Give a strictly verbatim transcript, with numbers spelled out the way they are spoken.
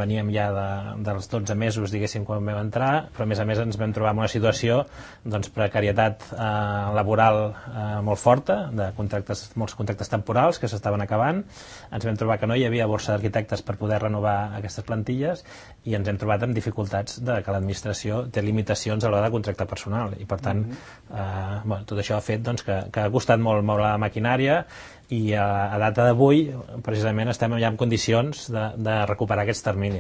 veníem ja de, dels dotze mesos, diguéssim, quan vam entrar, però a més a més ens vam trobar en una situació doncs, precarietat eh, laboral eh, molt forta, de contractes, molts contractes temporals que s'estaven acabant. Ens vam trobar que no hi havia borsa d'arquitectes per poder renovar aquestes plantilles i ens hem trobat amb dificultats de que l'administració té limitacions a l'hora de contractar personal i per tant mm-hmm. eh, bueno, tot això ha fet doncs, que, que ha costat molt moure la maquinària i a, a data d'avui precisament estem ja en condicions de, de recuperar aquests terminis